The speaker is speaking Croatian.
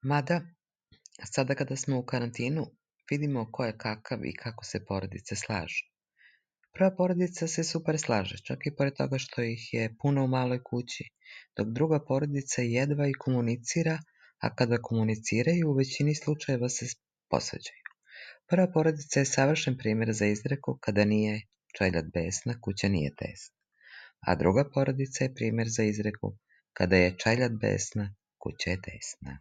Mada, sada kada smo u karantinu, vidimo ko je kakav i kako se porodice slažu. Prva porodica se super slaže, čak i pored toga što ih je puno u maloj kući, dok druga porodica jedva i komunicira, a kada komuniciraju, u većini slučajeva se posvađaju. Prva porodica je savršen primjer za izreku kada nije čeljad besna, kuća nije tesna. A druga porodica je primjer za izreku kada je čeljad besna, kuća je tesna.